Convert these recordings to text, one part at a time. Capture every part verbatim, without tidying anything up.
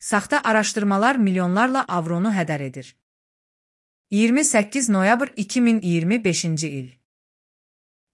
Saxta araşdırmalar milyonlarla avronu hədər edir. iyirmi səkkiz noyabr iki min iyirmi beşinci il.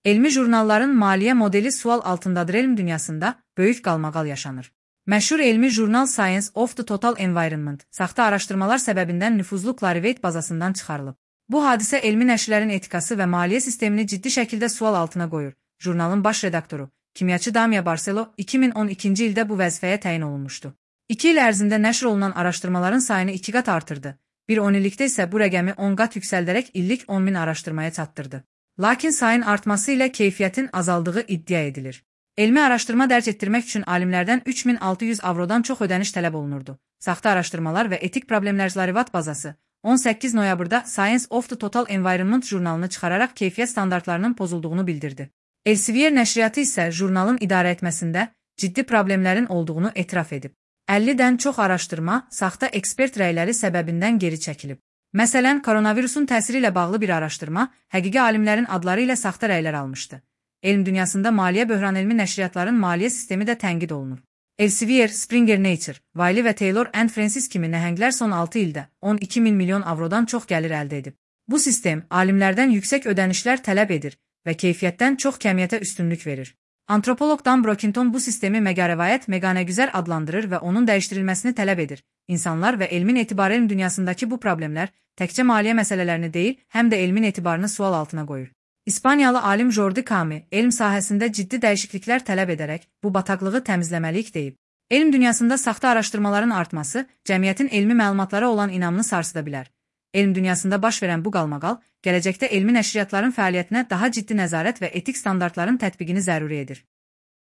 Elmi jurnalların maliyyə modeli sual altındadır. Elm dünyasında böyük qalmaqal yaşanır. Məşhur elmi jurnal Science of the Total Environment, saxta araşdırmalar səbəbindən nüfuzlu Clarivate bazasından çıxarılıb. Bu hadisə elmi nəşrlərin etikası və maliyyə sistemini ciddi şəkildə sual altına qoyur. Jurnalın baş redaktoru, kimyaçı Damia Barcelo, iki min on ikinci ildə bu vəzifəyə təyin olunmuşdu. İki il ərzində nəşr olunan araşdırmaların sayını iki qat artırdı. Bir on illikdə isə bu rəqəmi on qat yüksəldərək illik on min araşdırmaya çatdırdı. Lakin sayın artması ilə keyfiyyətin azaldığı iddia edilir. Elmi araşdırma dərc etdirmək üçün alimlərdən üç min altı yüz avrodan çox ödəniş tələb olunurdu. Saxta araşdırmalar və etik problemlər Clarivate bazası on səkkiz noyabrda Science of the Total Environment jurnalını çıxararaq keyfiyyət standartlarının pozulduğunu bildirdi. Elsevier nəşriyyatı isə jurnalın idarə etməsində ciddi problemlərin olduğunu etiraf edib. əllidən çox araşdırma saxta ekspert rəyləri səbəbindən geri çəkilib. Məsələn, koronavirusun təsiri ilə bağlı bir araşdırma həqiqi alimlərin adları ilə saxta rəylər almışdı. Elm dünyasında maliyyə böhranelmi nəşriyyatların maliyyə sistemi də tənqid olunur. Elsevier, Springer Nature, Wiley və Taylor and Francis kimi nəhənglər son altı ildə on iki min milyon avrodan çox gəlir əldə edib. Bu sistem alimlərdən yüksək ödənişlər tələb edir və keyfiyyətdən çox kəmiyyətə üstünlük verir. Antropoloq Dan Brockington bu sistemi məqarəvayət məqanəgüzər adlandırır və onun dəyişdirilməsini tələb edir. İnsanlar və elmin etibarı elm dünyasındakı bu problemlər təkcə maliyyə məsələlərini deyil, həm də elmin etibarını sual altına qoyur. İspaniyalı alim Jordi Cami elm sahəsində ciddi dəyişikliklər tələb edərək bu bataqlığı təmizləməliyik deyib. Elm dünyasında saxta araşdırmaların artması cəmiyyətin elmi məlumatlara olan inamını sarsıda bilər. Elm dünyasında baş verən bu qalmaqal gələcəkdə elmi nəşriyyatların fəaliyyətinə daha ciddi nəzarət və etik standartların tətbiqini zəruri edir.